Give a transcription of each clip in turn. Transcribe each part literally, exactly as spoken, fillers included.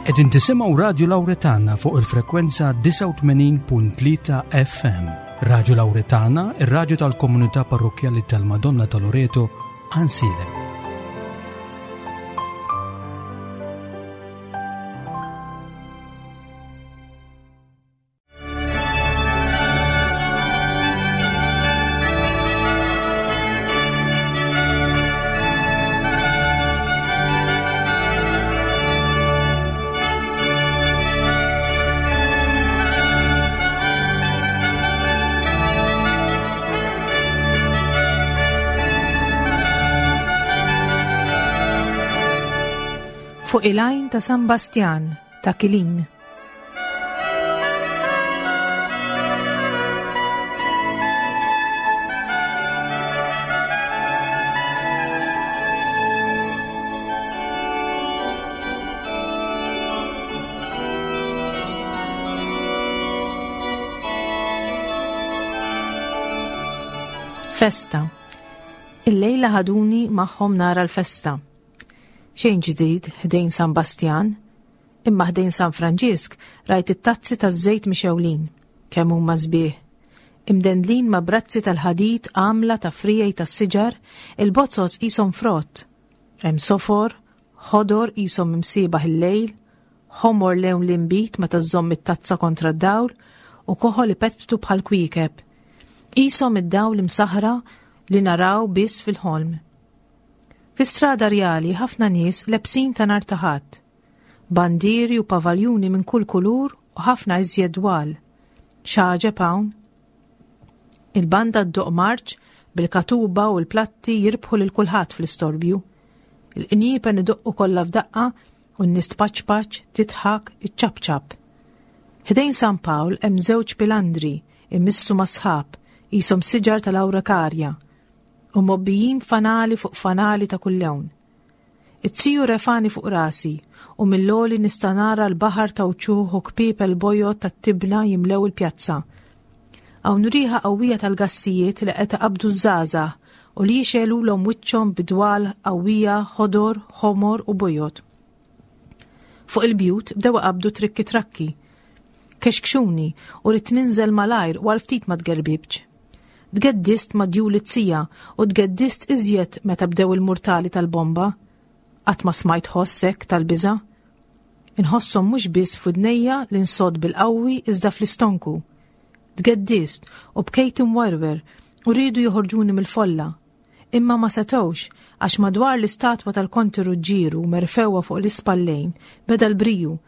Qegħdin tisimgħu Radio Lauretana fuq il-frekwenza disgħa u tmenin punt tlieta F M. Radio Lauretana, ir-raġu tal-komunità parrokjali tal-Madonna ta' Loreto, Għajnsielem. Fuq il-għajn ta' San Bastjan ta' Kilin. Festa. Il-lejla ħaduni magħhom nara l-festa. Xejn ġdid ħdejn San Bastjan, imma ħdejn San Franġisk rajt it-tazzi taż-żejt mixgħulin, kemm huma sbieħ. Imdendlin ma' brazzi tal-ħadid għamla ta' friegħi tas-siġar, il-bozoz qishom frott. Hemm sofor, ħodor qishom imsiebaħ il-lejl, ħomor lewn l-inbid meta żżomm it-tazza kontra d-dawl u koħol ipetptu bħal kwiekeb. Qishom id-dawl imsaħra li naraw biss fil-ħolm. Fi strada rjali ħafna nies lebsin ta' nhar ta' Ħadd. Bandieri u pavaljuni minn kull kulur u ħafna iżjed dwal. X'għaġeb hawn? Il-banda ddoqq marċ bil-katuba u l-platti jirbħu lil kulħadd fl-istorbju. Il-qniepen idoqqu kollha f'daqqa u n-nies tpaċpaċ, tidħak, iċċapċap. Ħdejn San Pawl hemm żewġ pilandri imissu ma' sħab qishom siġar tal-awrakarja u mgħobbijin fanali fuq fanali ta' kull lewn. Iz-ziju refagħni fuq rasi u mill-għoli nista' nara l-baħar ta' wċuħ u kpiepel bojod tat-tibna jimlew il-pjazza. Hawn riħa qawwija tal-gassijiet li qed iqabbdu ż-żgħażagħ u li jixegħlulhom wiċċhom bidwal qawwija ħodor, ħomor u bojod. Fuq il-bjut bdew iqabbdu trikki trakki. Kexkxuni u ridt ninżel malajr u għal ftit ma tgerbibx. Tgeddist ma' djul iz-zija u tgeddist iżjed meta bdew il-murtali tal-bomba. Qatt ma smajt ħoss hekk tal-biża'. Inħosshom mhux biss f'widnejja li nsodd bil-qawwi iżda fl-istonku. Tgeddist u bkejt imwerwer u riedu joħorġuni mill-folla. Imma ma setgħux għax madwar l-istatwa tal-Konti Ruġġieru merfugħa fuq l-ispallejn beda l-briju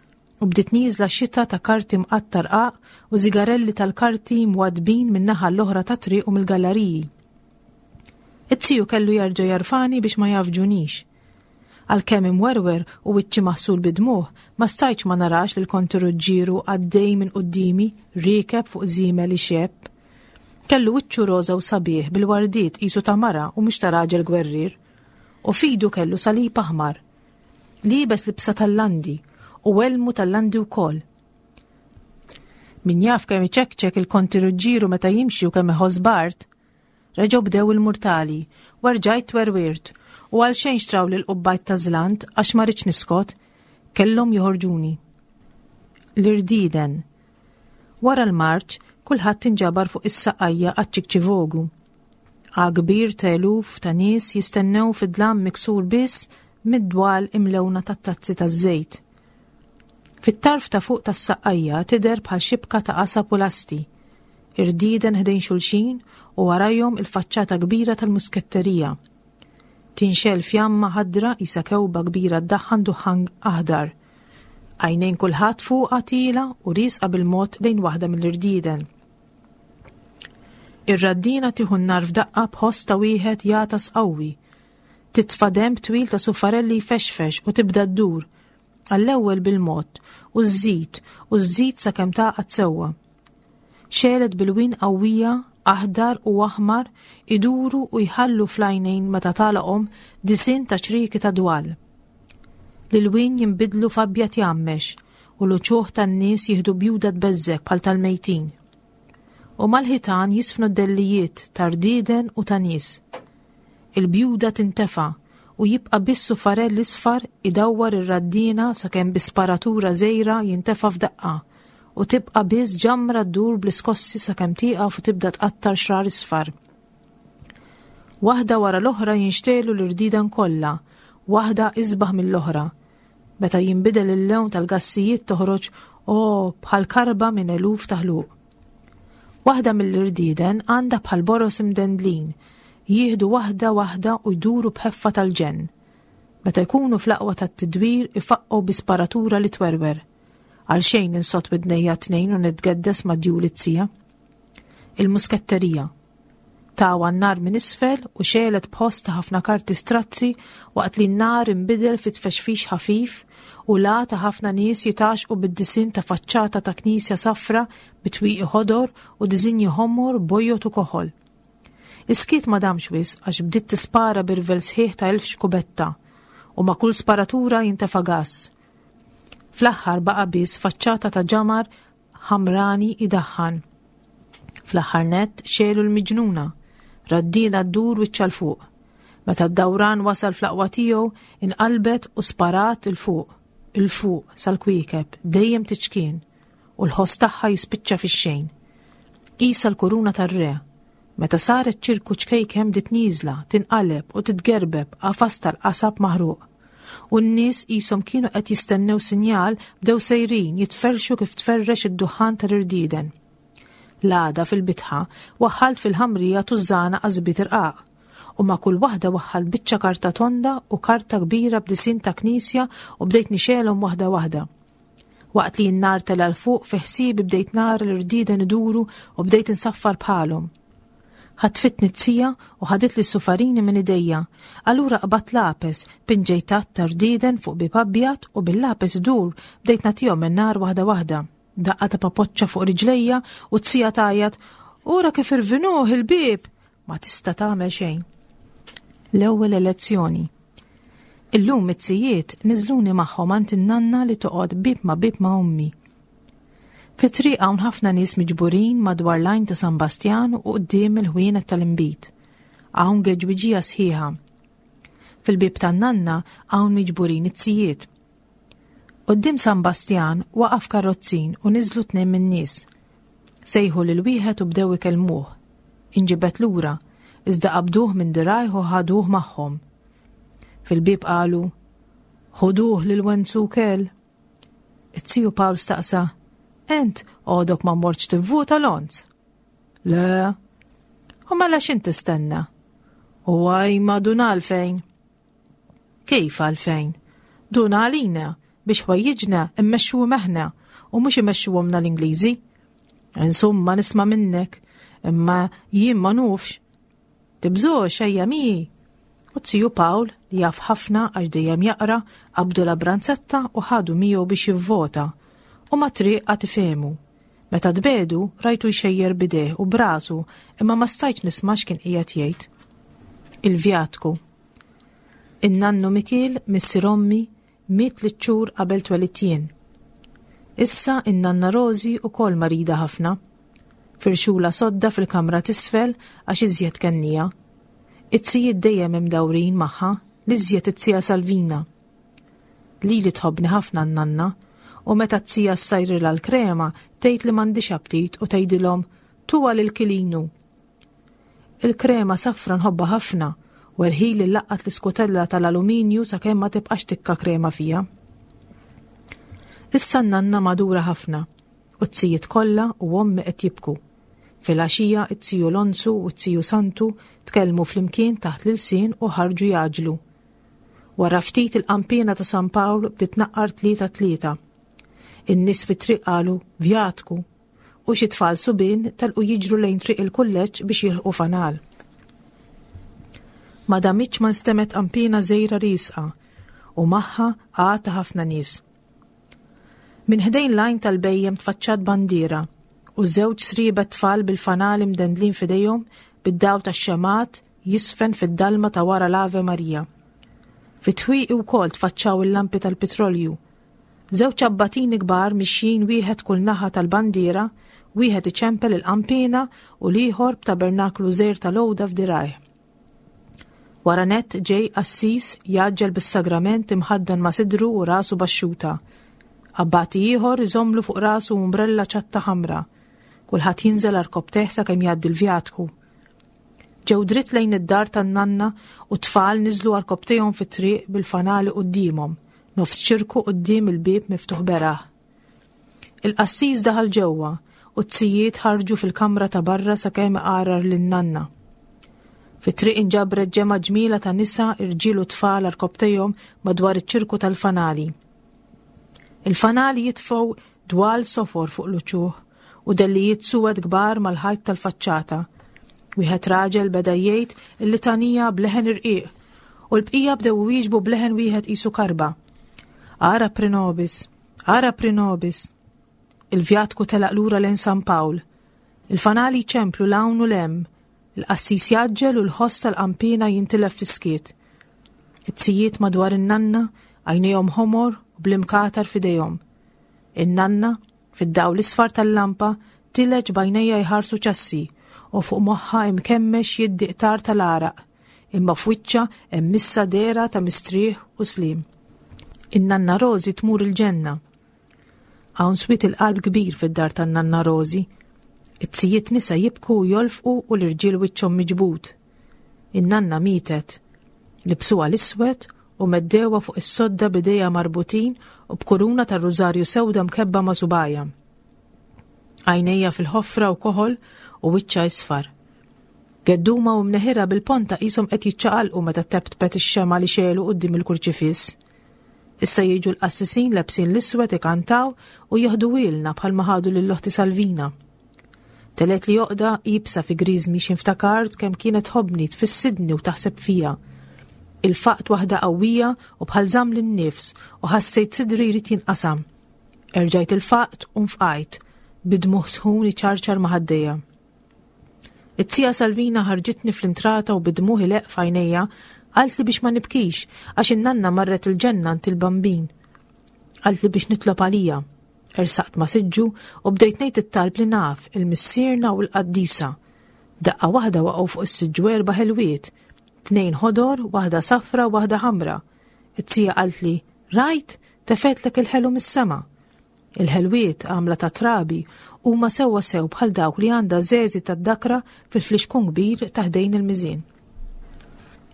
u bdiet nieżla xita ta' karti mqatta' rqaq u zigarelli tal-karti mwaddbin min-naħa l-oħra tat-triq u mill-galleriji. Iz-ziju kellu jerġa' jerfagħni biex ma jgħaffġunix. Għalkemm imwerwer u wiċċi maħsul bid-dmugħ, ma stajtx ma narax lil Konti Ruġġieru għaddej minn quddiemi riekeb fuq żiemel ixebb. Kellu wiċċu roża u sabiħ bil-wardiet qisu ta' mara u mhux ta' raġel gwerrier. U f'idu kellu salib aħmar. Liebes libsa tal-landi u elmu tal-landi wkoll. Min jaf kemm iċekċek il-Konti Ruġġieru meta jimxi u kemm iħoss bard. Reġgħu bdew il-murtali, u rġajt twerwirt, u għal xejn xtrawli l-qubbajt ta' żlant għax ma ridtx niskot, kellhom joħorġuni. L-irdieden. Wara l-marċ, kulħadd inġabar fuq is-saqajja għaċ-ċikċivogu. Kbir ta' eluf ta' nies jistennew fid-dlam miksur biss mid-dwal imlewna tat-tazzi taż-żejt. Fit-tarf ta' fuq tas-saqqajja tidher bħal xibka ta' qasab u lasti. Irdieden ħdejn xulxin u warajhom il-faċċata kbira tal-musketterija. Tinxegħel fjamma ħadra qisha kewba kbira ddaħħan duħħan aħdar. Għajnejn kulħadd fuqha tielgħa u riesqa bil-mod lejn waħda mill-irdieden. Ir-raddina tieħu n-nar f'daqqa b'ħoss ta' wieħed jagħtas qawwi. Titfa' denb twil ta' sufarelli jfexfex u tibda ddur. Għall-ewwel bil-mod u żżid u żżid sakemm tagħqad sewwa. Xegħlet b'ilwien qawwija, aħdar u aħmar iduru u jħallu fl-għajnejn meta tagħlaqhom disinn ta' ċrieki ta' dwal. L-ilwien jinbidlu f'abjad jgħammex u l-uċuħ tan-nies jieħdu bjuda tbeżżgħek bħal tal-mejtin. U mal-ħitan jiżfnu d-dellijiet ta' rdieden u ta' nies. Il-bjuda tintefa' u u jibqa' biss sufarell isfar idawwar ir-raddina sakemm bi sparatura żgħira jintefa' f'daqqa u tibqa' biss ġamra ddur bl-iskossi sakemm tieqaf u tibda tqattar xrar isfar. Waħda wara l-oħra jinxtegħlu l-irdieden kollha, waħda isbaħ mill-oħra. Meta jinbidel il-lewn tal-gassijiet toħroġ o bħal karba minn eluf ta' ħluq. Waħda mill-irdieden għandha bħal boros imdendlin, jieħdu waħda waħda u jduru b'ħeffa tal-ġenn. Meta jkunu fl-aqwa tat-tidwir ifaqqgħu bi sparatura li twerwer. Għal xejn insott widnejja tnejn u nitgeddes ma' djul it-tija. Il-musketterija. Tawha n-nar minn isfel u xegħlet b'ħoss ta' ħafna karti strazzi waqt li n-nar inbidel fi tfexfix ħafif u la ta' ħafna nies jitgħaxqu bid-disinn ta' faċċata ta' knisja safra bi twieqi ħodor u disinji ħomor bojod u koħol. Is-skiet ma damx wisq għax bdiet tispara b'irvell sħiħ ta' elf xkubetta u ma' kull sparatura jintefa' gas. Fl-aħħar baqa' biss faċċata ta' ġamar ħamrani idaħħan. Fl-aħħar nett xegħlu l-miġnuna, raddina ddur wiċċha 'l fuq. Meta d-dawran wasal fl-aqwa tiegħu inqalbet u sparat 'il fuq, 'il fuq sal-kwiekeb, dejjem tiċkien, u l-ħoss tagħha jispiċċa fix-xejn. Qisha l-kuruna tar-re. Meta saret ċirku ċkejken bdiet nieżla, tinqaleb u titgerbeb qafas tal-qasab maħruq. U n-nies qishom kienu qed jistennew sinjal bdew sejrin jitferxu kif tferrex id-duħan tal-irdieden. L-għada fil-bitħa waħħalt fil-ħamrija tużżana qasbiet irqaq u ma' kull waħda waħħalt biċċa karta tonda u karta kbira b'disinn ta' knisja u bdejt nixegħelhom waħda waħda. Waqt li n-nar tela' 'l fuq fi ħsiebi bdejt nara l-irdieden iduru u bdejt insaffar bħalhom. Ħatfitni t-tija u ħaditli s-sufarini minn idejja. Allura qbadt lapes, pinġejt għadd ta' rdieden fuq bieb abjad u bil-lapes idur bdejt nagħtihom in-nar waħda waħda. Daqqa ta' papoċċa fuq riġlejja u t-tija tgħajjat, "Ura kif irvinuh il-bieb!" Ma tista' tagħmel xejn. L-ewwel elezzjoni. Illum it-tzijiet niżluni magħhom għand in-nanna li toqgħod bieb ma' bieb ma' ommi. Fit-triq hawn ħafna nies miġburin madwar l-għajn ta' San Bastjan u quddiem il-ħwienet tal-inbid. Hawn geġwiġija sħiħa. Fil-bieb tan-nanna hawn miġburin it-tzijiet. Quddiem San Bastjan waqaf karrozzin u niżlu tnejn min-nies. Sejħu lil wieħed u bdew ikellmuh. Inġibed lura, iżda qabduh minn dirgħajh u ħaduh magħhom. Fil-bieb qalu, "Ħuduh lil Wenzu Kel." It-tiju Pawl staqsa, "Ent għodok ma mortx tivvota Lonz?" "Le." "U mela x'int tistenna?" "U għaj ma dun għalfejn." "Kif għalfejn?" "Dun għalina biex ħwejjiġna immexxuhom aħna u mhux imexxuhomna l-Ingliżi." "Insomma nisma' minnek, imma jien ma nufx." "Tibżgħux ejja miegħi." U t-tiju Pawl li jaf ħafna għax dejjem jaqra qabdu la branzetta u ħadu miegħu biex jivvota u ma triq għad ifehmu. Meta tbedu rajtu jxejjer b'idejh u b'rasu imma ma stajtx nisma' x'kien qiegħed jgħid. Il-vjatku. In-nannu Mikiel missier ommi miet tliet xhur qabel twelidt jien. Issa in-nanna Rosi ukoll marida ħafna. Firxula sodda fil-kamra t'isfel għax iżjed kennija. It-tzijiet dejjem imdawrin magħha, l-iżjed it-tija Salvina. Lili tħobbni ħafna n-nanna, u meta t-tija ssajrilha l-krema tgħid li m'għandix aptit u tgħidilhom tuha lil Kilinu. Il-krema safra nħobbha ħafna u erħili laqqat l-iskutella tal-aluminju sakemm ma tibqax tikka krema fija. Issa n-nanna madura ħafna u t-tzijiet kollha u ommi qed jibku. Filgħaxija it-tiju Lonzu u t-tiju Santu tkellmu flimkien taħt l-ilsien u ħarġu jgħaġġlu. Wara ftit il-qanpiena ta' San Pawl bdiet tnaqqar tlieta tlieta. In-nies fit-triq qalu vjatku u xi tfal subien telqu jiġru lejn triq il-kulleġġ biex jilħqu fanal. Ma damitx ma nstemgħet qanpiena żgħira riesqa u magħha għata ħafna nies. Minn ħdejn l-għajn tal-bhejjem tfaċċat bandiera u żewġ sriebet tfal bil-fanali mdendlin f'idejhom bid-daw tax-xemgħat jisfen fid-dalma ta' wara l-Ave Maria. Fit-twieqi wkoll tfaċċaw il-lampi tal-petrolju. Żewġ abbatini kbar mixjin wieħed kull naħa tal-bandiera, wieħed iċempel il-qanpiena u l-ieħor b'tabernaklu żgħir tal-għoda f'dirgħajh. Wara nett ġej qassis jgħaġġel bis-sagrament imħaddan ma' sidru u rasu baxxuta. Abbati ieħor iżomlu fuq rasu umbrella ċatta ħamra. Kulħadd jinżel għarkopptejh sakemm jgħaddi l-vjatku. Ġew dritt lejn id-dar tan-nanna u tfal niżlu għarkopptejhom fit-triq bil-fanali quddiemhom, nofs ċirku quddiem il-bieb miftuħ beraħ. Il-qassis daħal ġewwa u t-tzijiet ħarġu fil-kamra ta' barra sakemm qarar lin-nanna. Fit-triq inġabret ġemgħa ġmila ta' nisa, irġiel u tfal għarkopptejhom madwar iċ-ċirku tal-fanali. Il-fanali jitfgħu dwal sofor fuq l-uċuħ u dellijiet suwed kbar mal-ħajt tal-faċċata. Wieħed raġel beda jgħid il-litanija b'leħen irqiq u l-bqija bdew wieġbu b'leħen wieħed qisu karba. Ora pro nobis, ora pro nobis. Il-vjatku telaq lura lejn San Pawl. Il-fanali ċemplu 'l hawn u 'l hemm. Il-qassis jgħaġġel u l-ħoss tal-qampina jintilef fis-skiet. It-tzijiet madwar in-nanna għajnejhom ħomor u bl-imkatar f'idejhom. In-nanna, fid-dawl isfar tal-lampa, tileġ b'għajnejha jħarsu ċassi u fuq moħħa imkemmex jiddi qtar tal-għaraq, imma f'wiċċha hemm issa dehra ta' mistrieħ u slim. In-nanna Rosi tmur il-ġenna. Hawn swied il-qalb kbir fid-dar tan-nanna Rosi. It-tzijiet nisa jibku u jolfqu u l-irġiel wiċċhom miġbud. In-nanna mietet. Libsuha l-iswed u meddewha fuq is-sodda b'idejha marbutin u b'kuruna tar-rużarju sewda mkebba ma' subgħajha. Għajnejha fil-ħofra u koħol u wiċċha isfar. Gedduma u mneħira bil-ponta qishom qed jiċċaqalqu meta teptpet ix-xemgħa li xegħlu quddiem il-kurċifiss. Issa jiġu l-qassisin lebsin l-iswed ikantaw u jieħduhielna bħalma ħadu lil oħti Salvina. Telgħetli għoqda iebsa fi griżmi x'ħin ftakart kemm kienet tħobbni tfissidni u taħseb fija. Ilfaqt waħda qawwija u bħal żammli n-nifs u ħassejt sidri jrid jinqasam. Erġajt ilfaqt u nfqajt bid-dmugħ sħun iċarċar ma' ħaddejja. It-tija Salvina ħarġitni fl-intrata u bid-dmugħ ileqq f'għajnejja qaltli biex ma nibkix għax in-nanna marret il-ġenna għand il-Bambin. Qaltli biex nitlob għalija. Ersaqt ma' siġġu u bdejt ngħid it-talb li naf il-Missierna u l-Qaddisa. Daqqa waħda waqgħu fuq is-siġġu erba' ħelwiet, tnejn ħodor, waħda safra u waħda ħamra. It-tija qaltli, rajt, tefgħetlek il-ħelu mis-sema. Il-ħelwiet għamla ta' trabi huma sewwa sew bħal dawk li għandha Żeżi tad-dakra fil-flixkun kbir ta' ħdejn il-miżien.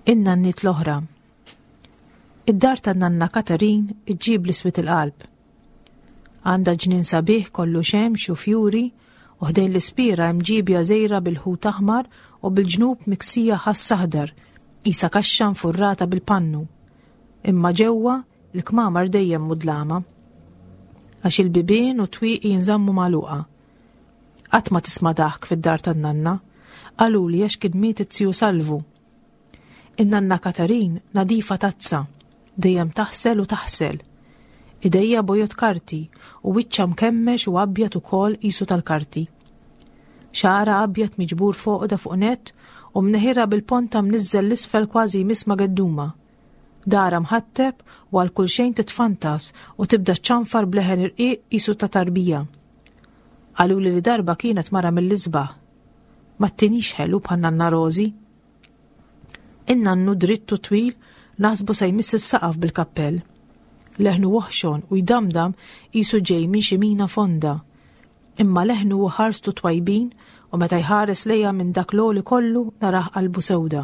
In-nanniet l-oħra. Id-dar tan-nanna Katarin iġġib l-iswied il-qalb. Għandha ġnien sabiħ kollu xemx u fjuri u ħdejn l-ispira hemm ġibja żgħira bil-ħut aħmar u bil-ġnub miksija ħass aħdar, qisha kaxxa nfurrata bil-pannu. Imma ġewwa il-kmamar dejjem mudlama. Għax il-bibien u twieqi jinżammu magħluqa. Qatt ma tisma' daħk fid-dar tan-nanna, qaluli għax kien miet it-tiju Salvu. In-nanna Katarin nadifa tazza, dejjem taħsel u taħsel. Idejha bojod karti u wiċċha mkemmex u abjad ukoll qisu tal-karti. Xagħarha abjad miġbur f'għoqda fuq nett u mneħirha bil-ponta mniżżel 'l isfel kważi jmiss ma' gedduma. Darha mħatteb u għal kull xejn titfantas u tibda ċanfar b'leħen irqiq qisu ta' tarbija. Qaluli li darba kienet mara mill-isbaħ. Ma ttinix ħelu bħal nanna Rosi. In-nannu dritt u twil naħsbu se jmiss is-saqaf bil-kappell. Leħnu oħxon u jdamdam qisu ġej minn xi mina fonda. Imma leħnu u ħarstu twajbin u meta jħares lejja minn dak l-għoli kollu narah qalbu sewda.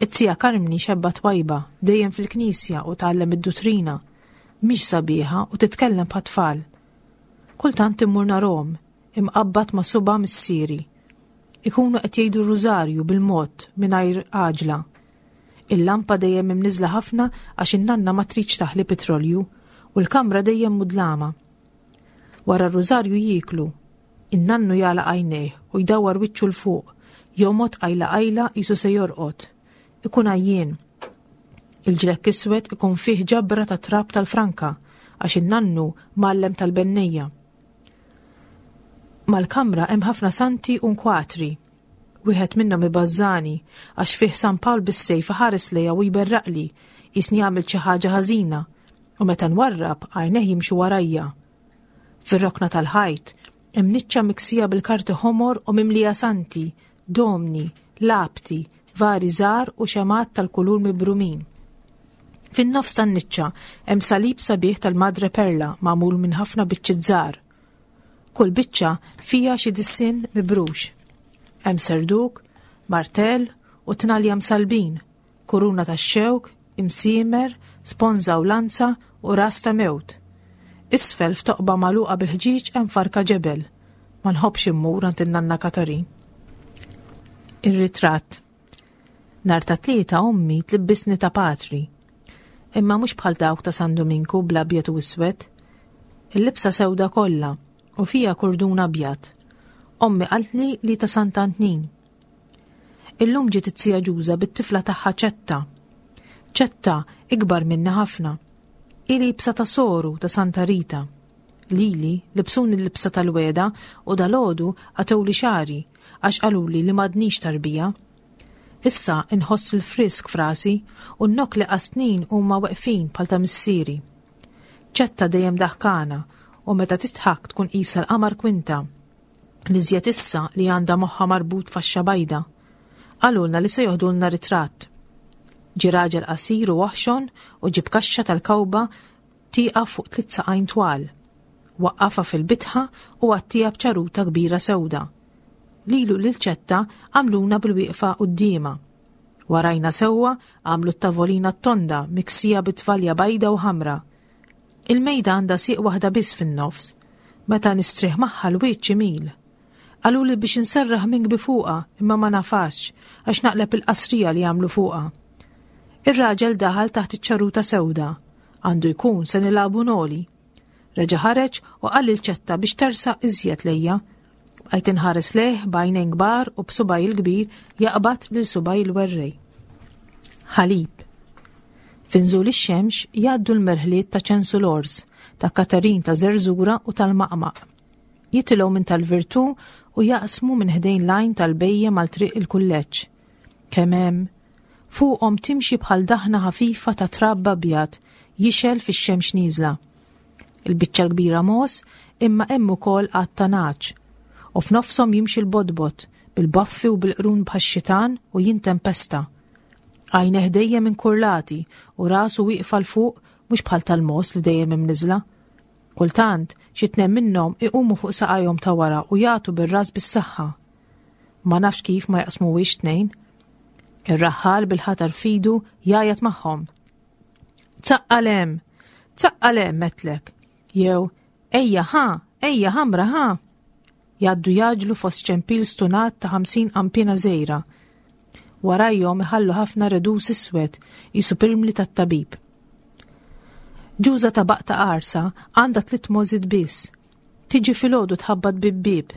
It-tija Karmni xebba twajba, dejjem fil-knisja u tgħallem id-duttrina. Mhix sabiħa u titkellem bħat-tfal. Kultant immur narahom, imqabbad ma' suba' missieri. Ikunu qed jgħidu r-rużarju bil-mod mingħajr għaġla. Il-lampa dejjem imniżla ħafna għax in-nanna ma tridx taħli petrolju u l-kamra dejjem mudlama. Wara r-rużarju jieklu. In-nannu jagħlaq għajnejh u jdawwar wiċċu 'l fuq, jomgħod qajla qajla qisu se jorqod. Ikun għajjien. Il-ġlekk iswed ikun fih ġabra ta' trab tal-franka għax in-nannu mgħallem tal-bennejja. Mal-kamra hemm ħafna santi u nkwatri. Wieħed minnhom ibażżani għax fih San Pawl bis-sejf ħares lejja u jberraqli qisni għamilt xi ħaġa ħażina u meta nwarrab għajnejh jimxu warajja. Fir-rokna tal-ħajt hemm niċċa miksija bil-karti ħomor u mimlija santi, domni, labti, Vari żgħar u xemgħat tal-kulur mibrumin. Fin-nofs tan-niċċa hemm salib sabiħ tal-Madre Perla magħmul minn ħafna biċċiet żgħar. Kull biċċa fiha xi disinn mibrux. Hemm serduk, martell u tnalja msalbin, kuruna tax-xewk, imsiemer, sponża u lanza u ras ta' mewt. Isfel f'toqba magħluqa bil-ħġieġ hemm farka ġebel. Ma nħobbx immur għand in-nanna Katarin. Ir-ritratt. Nhar ta' Tlieta ommi tlibbisni ta' patri. Imma mhux bħal dawk ta' San Dominku bl-abjad u iswed. Il-libsa sewda kollha u fija kurdun abjad. Ommi qaltli li ta' Sant'Antnin. Illum ġiet it-tija Ġuża bit-tifla tagħha Ċetta. Ċetta ikbar minna ħafna. Hi libsa ta' soru ta' Santa Rita. Lili libsuni l-libsa tal-weda u dalgħodu qatgħuli xagħri għax qaluli li m'għadnix tarbija. Issa inħoss il-frisk f'rasi u n-nokli qasnin huma weqfin bħal ta' missieri. Ċetta dejjem daħkana u meta titħak tkun qisha l-qamar kwinta. L-iżjed issa li għandha moħħa marbut faxxa bajda. Qalulna li se joħdulna ritratt. Ġie raġel qasir u oħxon u ġib kaxxa tal-kawba tieqaf fuq tliet saqajn twal. Waqqafha fil-bitħa u għattieha b'ċaruta kbira sewda. Lilu lil Ċetta għamluna bil-wieqfa quddiemha. Warajna sewwa għamlu t-tavolina t-tonda miksija bit-tvalja bajda u ħamra. Il-mejda għandha sieq waħda biss fin-nofs. Meta nistrieħ magħha l-wiċċ imil. Qaluli biex inserraħ minkbi fuqha imma ma nafax għax naqleb il-qasrija li għamlu fuqha. Ir-raġel daħal taħt iċ-ċaruta sewda. Għandu jkun se nilagħbu noli. Reġa' ħareġ u qal lil Ċetta biex tersaq iżjed lejja. Bqajt inħares lejh b'għajnejn kbar u b'subaj il-kbir jaqbad lil subaj il-werrej. Ħalib. F'inżul ix-xemx jgħaddu l-merħliet ta' Ċensu l-Ors, ta' Katarin ta' Żerżura u tal-Maqmaq. Jitilgħu minn tal-Virtù u jaqsmu minn ħdejn l-għajn tal-bejjem għal triq il-kulleġġ. Kemm hemm fuqhom timxi bħal daħna ħafifa ta' trab abjad jixgħel fix-xemx nieżla. Il-biċċa l-kbira mogħoż imma hemm ukoll għadd ta' nagħaġ. U f'nofshom jimxi l-bodbod bil-baffi u bil-qrun bħax-xitan u jintempesta. Għajnejh dejjem inkurlati u rasu wieqfa 'l fuq mhux bħal tal-mogħoż li dejjem imniżla. Kultant, xi tnejn minnhom iqumu fuq saqajhom ta' wara u jagħtu bir-ras bis-saħħa. Ma nafx kif ma jaqsmuhiex tnejn. Ir-raħħal bil-ħatar f'idu jgħajjat magħhom. Tzaqqal hemm, tzaqqal hemm għedtlek. Jew, ejja ħa, ejja ħamra ħa. Jgħaddu jgħaġġlu fost ċempil stunat ta' ħamsin qampina żgħira. Warajhom iħallu ħafna redus iswed qisu pirmli tat-tabib. Ġuża ta' baqta qarsa għandha tliet mogħżiet biss. Tiġi filgħodu tħabbat bieb bieb.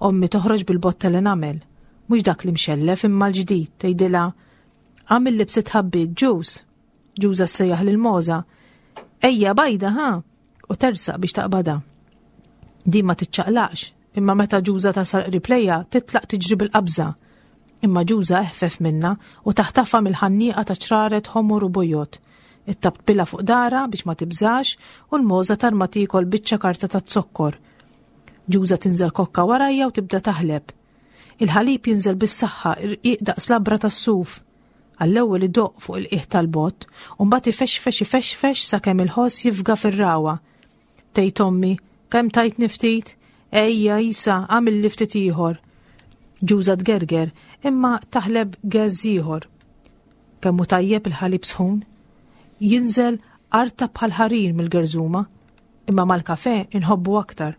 Ommi toħroġ bil-botta li nagħmel, mhux dak li mxellef imma l-ġdid, tgħidilha għamil libsi tħabbit ġuż. Ġuża ssejjaħ lil mogħża. Ejja bajda ħa u tersaq biex taqbadha. Din ma tiċċaqlaqx, imma meta Ġuża tasal qrib lejha titlaq tiġri bil-qabża. Imma Ġuża eħfef minna u taħtafha mill-ħannieqa ta' ċraret ħomor u bojod. Ittaptpilha fuq dara biex ma tibżax u l-mogħża tarma tiekol biċċa karta ta' zokkor. Ġuża tinżel kokka warajja u tibda taħleb. Il-ħalib jinżel bis-saħħa irqiq daqs labra tas-suf. Għall-ewwel idoqq fuq il-qiegħ tal-bott u mbagħad ifexfex ifexfex sakemm il-ħoss jifga fir-ragħwa. Tgħid ommi, kemm tajtni ftit? Ejja isa, għamilli ftit ieħor. Ġuża tgerger, imma taħleb geżż ieħor. Kemm hu tajjeb il-ħalib sħun? Jinżel arta bħal ħarir mill-gerżuma, imma mal-kafe inħobbu aktar.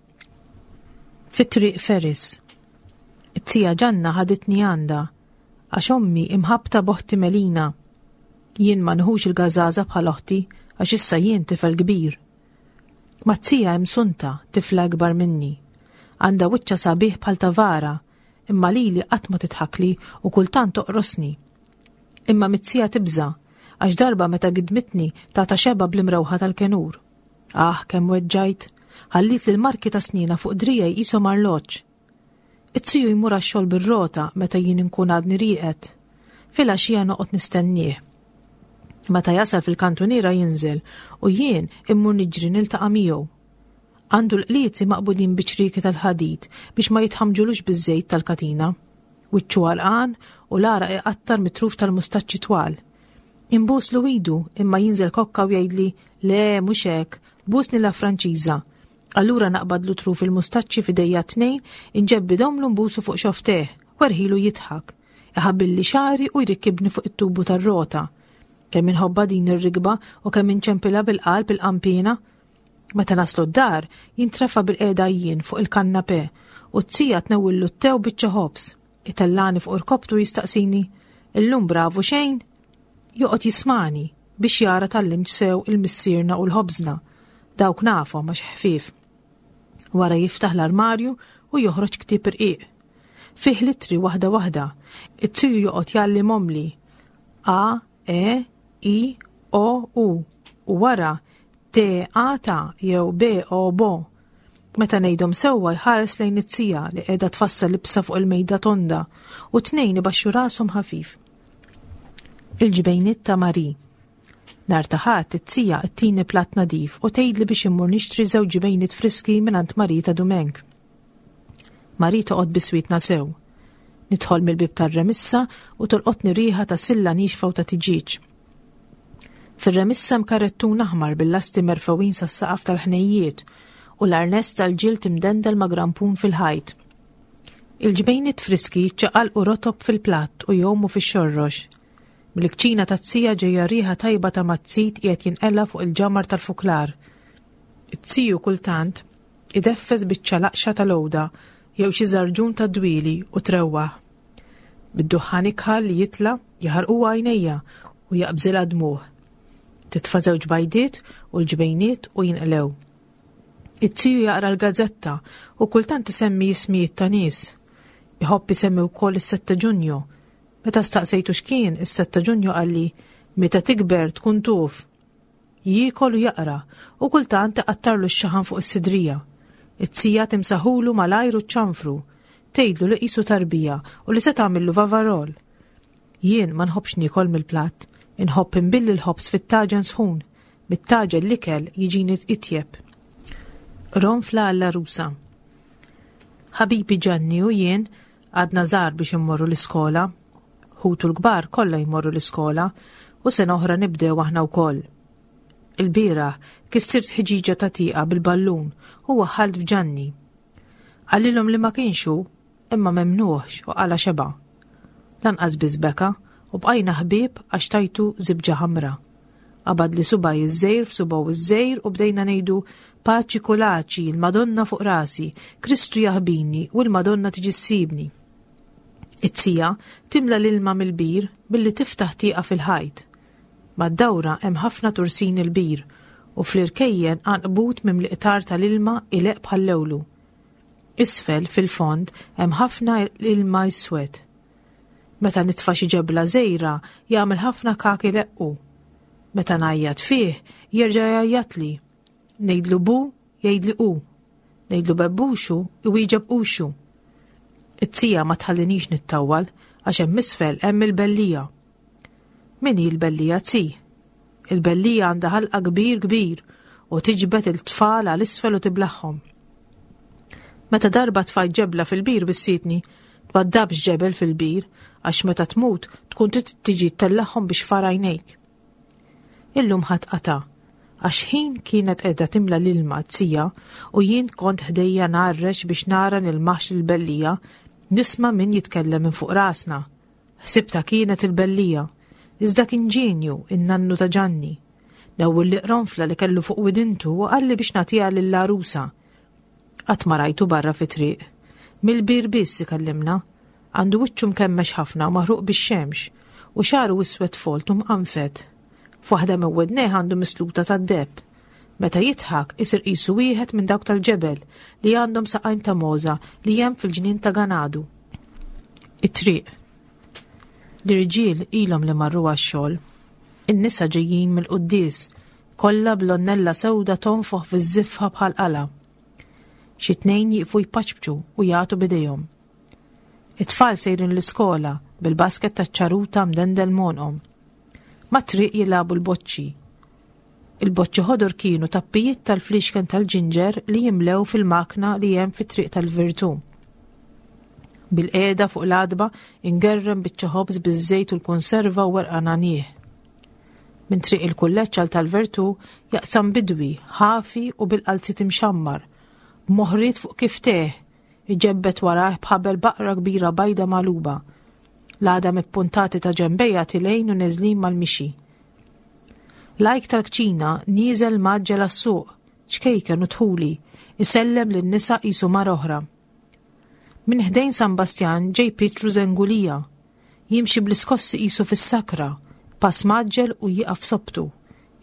Fit-triq Ferris. It-tija Ġanna ħaditni għandha, għax ommi imħabta b'oħti Melina. Jien ma nħux il-gażaża bħal oħti għax issa jien tifel kbir. Mat-tija hemm Sunta, tifla akbar minni. Għandha wiċċa sabiħ bħal tavara, imma lili qatt ma titħakli u kultant toqrosni. Imma mit-tija tibża, għax darba meta gidmitni tata xeba bl-imrewħa tal-kenur. Ah, kemm weġġajt, ħallit li l-marki ta' snina fuq drijaj qishom arloġġ. It-tiju jmur għax-xogħol bir-rota meta jien inkun għadni rieqed. Filgħaxija noqgħod nistennieh. Meta jasal fil-kantuniera jinżel u jien immur niġri niltaqa' miegħu. Għandu l-qliezi maqbudin bi ċrieki tal-ħadid biex ma jitħamġulux biż-żejt tal-katina. Wiċċu għarqan u l-għaraq iqattar mit-truf tal-mustaċċi twal. Inbuslu idu imma jinżel kokka u jgħidli le mhux hekk, busni la Franċiża. Allura naqbadlu truf il-mustaċċi f'idejja tnejn, inġebbidhomlu nbusu fuq xofftejh, werħilu jidħak. Iħabbilli xagħri u jrikkibni fuq it-tubu tar-rota. Kemm inħobbha din ir-rikba u kemm inċempilha bil-qalb il-qanpiena. Meta naslu d-dar, jintrefa' bil-qiegħda jien fuq il-kannapè u t-tija tnewwillu t-te u biċċa ħobż. Itellani fuq irkoptu jistaqsini, illum bravu xejn? Joqgħod jismani biex jara tgħallimtx sew il-missierna u l-ħobżna. Dawk nafhom għax ħfief. Wara jiftaħ l-armarju u joħroġ ktieb irqiq. Fih l-ittri waħda waħda. It-tiju joqgħod jgħallimhomli. A, E, I, O, U. U wara T, A, ta jew B, O, B. Meta ngħidhom sewwa jħares lejn it-tija li qiegħda tfassal libsa fuq il-mejda tonda u tnejn ibaxxu rashom ħafif. Il-ġbejniet ta' Mari. Nhar ta' Ħadd it-tija ttini platt nadif u tgħidli biex immur nixtri żewġ ġbejniet friski mingħand Mari ta' Dumenk. Mari toqgħod biswitna sew. Nidħol mill-bib tar-remissa u tolqotni riħa ta' silla nixfa u ta' tiġieġ. Fir-remissa hemm karettun aħmar bil-lasti merfgħuin sas-saqaf tal-ħnejjiet u l-arness tal-ġild imdendel ma' grampun fil-ħajt. Il-ġbejniet friski jiċċaqalqu rotob fil-platt u jgħumu fix-xorrox. Mill-kċina taz-zija ġejja riħa tajba ta' mazzit qiegħed jinqela fuq il-ġamar tal-fuklar. It-tiju kultant ideffes biċċa laqxa tal-għoda jew xi żarġun tad-dwieli u trewwaħ. Bid-duħħan ikħal li jitla' jaħarqu għajnejja u jaqbżilha dmugħ. Titfa' żewġ bajdiet u l-ġbejniet u jinqlew. It-tiju jaqra l-gazzetta u kultant isemmi ismijiet ta' nies. Iħobb isemmi wkoll is-sette Ġunju. Meta staqsejtu x'kien is-sette Ġunju qalli meta tikber tkun tuf. Jiekol u jaqra u kultant iqattarlu x-xaħan fuq is-sidrija. It-tija timsaħulu malajr u ċanfru, tgħidlu li qisu tarbija u li se tagħmillu vavarol. Jien ma nħobbx niekol mill-platt, inħobb inbilli l-ħobż fit-taġen sħun, mit-taġen l-ikel jiġini itjeb. Ronfla għall-għarusa. Ħabibi Ġanni u jien għadna żgħar biex immorru l-iskola. Ħutu l-kbar kollha jmorru l-iskola u sena oħra nibdew aħna wkoll. Il-bieraħ kissirt ħġiġa ta' tieqa bil-ballun u waħħalt f'Ġanni. Qalilhom li ma kienx hu, imma memnuħx u qala xeba. Lanqas biss beka u bqajna ħbieb għax tajtu żibġa ħamra. Qabad li subaj iż-żejr f'subaw iż-żejr u bdejna ngħidu paċi kulaċi, il-Madonna fuq rasi, Kristu jaħbini u l-Madonna tiġi ssibni. It-tija timla l-ilma mill-bir billi tiftaħ tieqa fil-ħajt. Mad-dawra hemm ħafna tursin il-bir u fl-irkejjen għanqbut mimli qtar tal-ilma ileq bħal-lewlu. Isfel fil-fond hemm ħafna ilma iswed. Meta nitfa' xi ġebla żgħira jagħmel ħafna kak ileqqu. Meta ngħajjat fih jerġa' jgħajjatli. Ngħidlu bu, jgħidli u. Ngħidlu bebbuxu, iwieġeb uxu. It-tija ma tħallinix nittawwal għax hemm isfel hemm il-bellija. Min hi l-bellija tzi? Il-bellija għandha ħalqa kbir kbir u tiġbed il-tfal għal isfel u tiblaħħom. Meta darba tfajt ġebla fil-bir bissitni, twaddabx ġebel fil-bir għax meta tmut tkun trid tiġi ttellaħħom biex fara għajnejk. Illum ħadd qata' għax ħin kienet qiegħda timla l-ilma t-tija u jien kont ħdejja ngħarrex biex nara nilmaħx il-bellija, nisma' min jitkellem minn fuq rasna. Ħsibta kienet il-bellija, iżda kien ġenju in-nannu ta' Ġanni. Newwel li qronfla li kellu fuq widintu u qalli biex nagħtiha lill-għarusa. Qatt ma rajtu barra fit-triq. Mill-bir biss ikellimna. Għandu wiċċu mkemmex ħafna u maħruq bix-xemx u xagħru iswed folt u mqanfed. F'waħda minn widnejh għandu misluta tad-deheb. Meta jidħak isir qisu wieħed minn dawk tal-ġebel li għandhom saqajn ta' moża li hemm fil-ġnien ta' Ganadu. It-triq. L-irġiel ilhom li marru għax-xogħol. In-nisa ġejjin mill-quddies, kollha bl-onnella sewda tonfoħ fiż-żiffa bħal qala. Xi tnejn jieqfu jpaċbċu u jagħtu b'idejhom. It-tfal sejrin l-iskola bil-basket taċ-ċaruta mdendel m'għonqhom. Mat-triq jilagħbu l-boċċi. Il-boċċi ħodor kienu tappijiet tal-flixken tal-ġinġer li jimlew fil-makna li hemm fit-triq tal-Virtù. Bil-qiegħda fuq l-għadba ingerrem biċċa ħobż biż-żejt u l-konserva u werqa nagħnih. Minn triq il-kulleġġ għal tal-Vertu jaqsam bidwi, ħafi u bil-qalzit imxammar, b'moħriet fuq kifteh, iġebbet warajh b'ħabel baqra kbira bajda magħluba. L-għadam ippuntati ta' ġembejja tilejn u neżlin mal-mixi. Lajk tal-kċina nieżel mgħaġġel għas-suq, ċkejken u tħuli, isellem lin-nisa qisu mara oħra. Minn ħdejn San Bastjan ġej Pietru Zengulija, jimxi bl-iskossi qisu fis-sakra, pass mgħaġġel u jieqaf sobtu,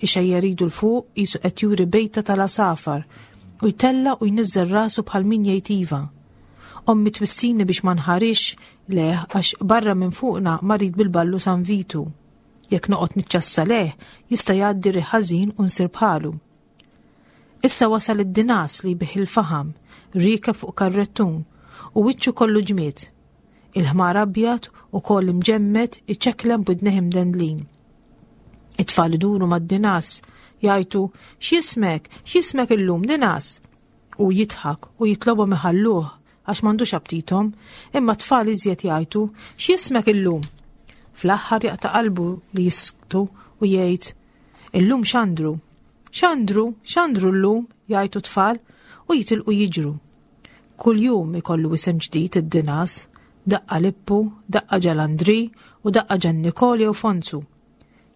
ixejjer idu 'l fuq qisu qed juri bejta tal-għasafar u jtella' u jniżżel rasu bħal min jgħid iva. Ommi twissini biex ma nħarisx lejh għax barra minn fuqna marid bil-ballu San Vitu. Jekk noqgħod niċċassa lejh jista' jgħaddi riħ ħażin u nsir bħalu. Issa wasal id-dinas li bih il-faħam, riekeb fuq karrettun u wiċċu kollu ġmied. Il-ħmar abjad u koll imġemmed iċeklem b'widnejh imdendlin. It-tfal iduru mad-dinas, jgħajtu, x'jismek, x'jismek illum dinas? U jidħak u jitlobhom iħalluh għax m'għandux aptithom, imma t-tfal iżjed jgħajtu, x'jismek illum? Fl-aħħar jaqta' qalbu li jisktu u jgħid, illum Xandru. Xandru, Xandru llum, jgħajtu tfal u jitilqu jiġru. Kull jum ikollu isem ġdid id-dinas, daqqa Lippu, daqqa Ġalandri u daqqa Ġan Nikol jew Fonzu.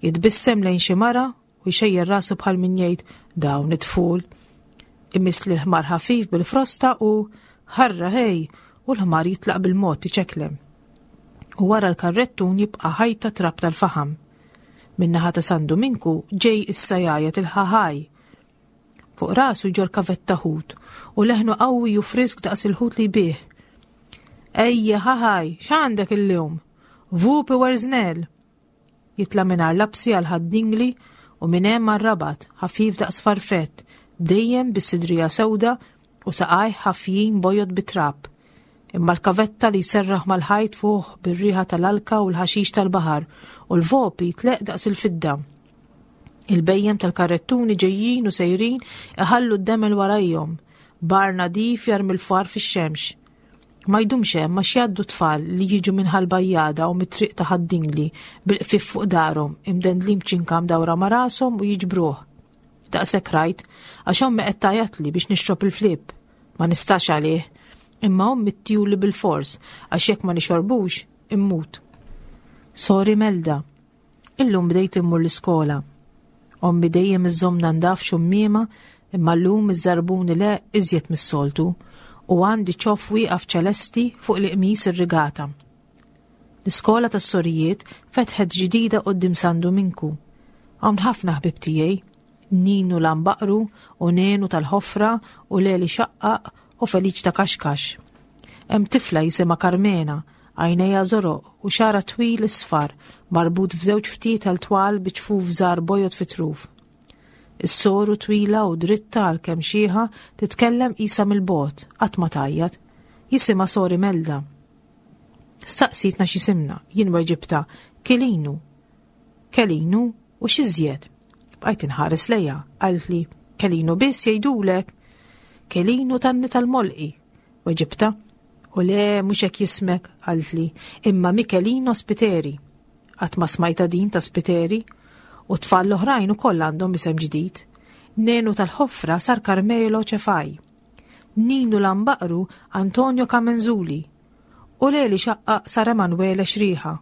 Jitbissem lejn xi mara u jxejjer rasu bħal min jgħid dawn it-tful. Imiss li l-ħmar ħafif bil-frosta u ħarra ħej u l-ħmar jitlaq bil-mod iċeklem. U wara l-karrettun jibqa' ħajta trab tal-faħam. Min-naħa ta' San Duminku ġej issa jgħajjat il-ħaħaj. Fuq rasu jġorr kavetta ħut u leħnu qawwi u frisk daqs il-ħut li jbigħ. Ejja ħaħaj, x'għandek illum? Vupi werżnel. Jitla' mingħajr lapsi għal Ħad-Dingli u minn hemm għar-Rabat, ħafif daqs farfett, dejjem bis-sidrija sewda u saqajh ħafjin bojod bit-trab. Imma l-kavetta li jserraħ mal-ħajt fuq bir-riħa tal-alka u l-ħaxix tal-baħar u l-vopi tleq daqs il-fidda. Il-bhejjem tal-karrettuni ġejjin u sejrin iħallu d-demel warajhom, bar nadif jarmi l-far fix-xemx. Ma jdumx hemm għax jgħaddu tfal li jiġu minn Ħal-Bajjada u mit-triq ta' Ħad-Dingli bil-qfif fuq darhom, imdendlin b'ċinka mdawra ma' rashom u jiġbruh. Daqshekk rajt għax ommi qed tgħajjatli biex nixrob il-flip. Ma nistax għalih, imma ommi ttihuli bil-fors għax jekk ma nixorbux immut. Sori Melda, illum bdejt immur l-iskola. Ommi dejjem iżżommna ndaf xummiema imma llum iż-żarbun ileqq iżjed mis-soltu u għandi ċoff wieqaf ċelesti fuq l-qmis irrigata. L-iskola tas-sorijiet fetħet ġdida quddiem San Duminku. Hawn ħafna ħbieb tiegħi, Ninu Lambaqru u Nenu tal-Ħofra u Leli Xaqqaq u Feliċ ta' Kaxkax. Hemm tifla jisimha Karmena, għajnejha żoroq u xagħarha twil isfar marbut f'żewġ ftietel twal bi ċfuf żgħar bojod fit-truf. Is-soru twila u dritta għal kemm xieħa titkellem qisha mill-bogħod, qatt ma tgħajjat. Jisimha Sori Melda. Staqsitna x'isimna, jien weġibta Kelinu. Kelinu u x'iżjed? Bqajt inħares lejha, qaltli Kelinu biss jgħidulek. Kelinu tanni tal-molqi. Weġibta, u le mhux hekk jismek, qaltli, imma Michelino Spiteri. Qatt ma smajta din ta' Spiteri, u tfal l-oħrajn ukoll għandhom isem ġdid. Nenu tal-Ħofra sar Carmelo Ċefaj. Ninu Lambaqru Antonio Kamenzuli. U Leli Xaqqaq sar Emanuele Xriħa.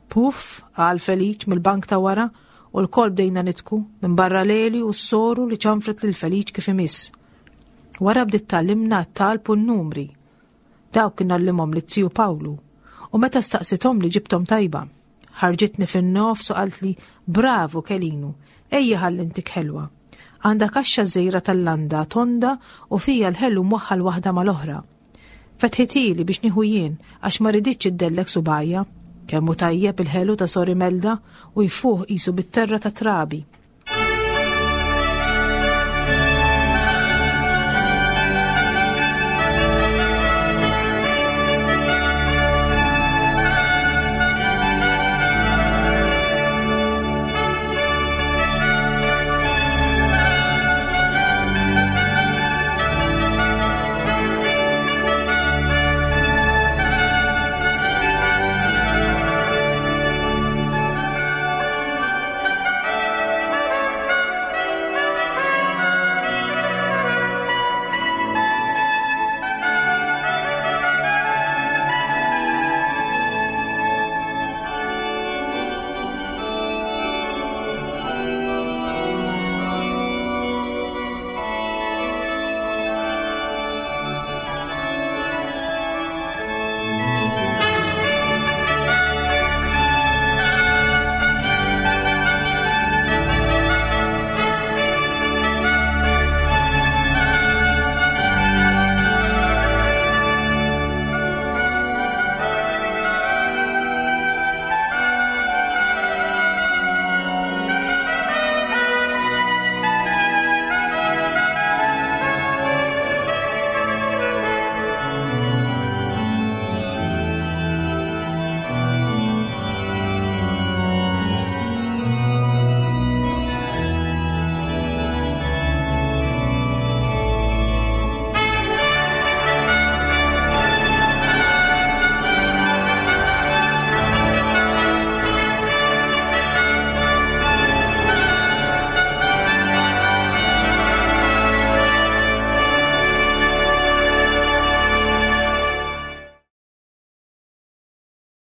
Puff, qal Feliċ mill-bank ta' wara, u lkoll bdejna nidħku minn barra Leli u s-soru li ċanfret lil Feliċ kif imiss. Wara bdiet tgħallimna t-talb u n-numri. Dawk kien għallimhom liz-ziju Pawlu. U meta staqsithom li ġibtom tajba. Ħarġitni fin-nofs u qaltli, bravo Kelinu, ejja ħalli ntik ħelwa. Għandha kaxxa żgħira tal-landa tonda u fija l-ħelu mwaħħal waħda mal-oħra. Fetħitili biex nieħu jien għax ma riditx iddellek subgħajja. Kemm hu tajjeb il-ħelu ta' Sori Melda u jfuħ qisu bit-terra ta' trabi.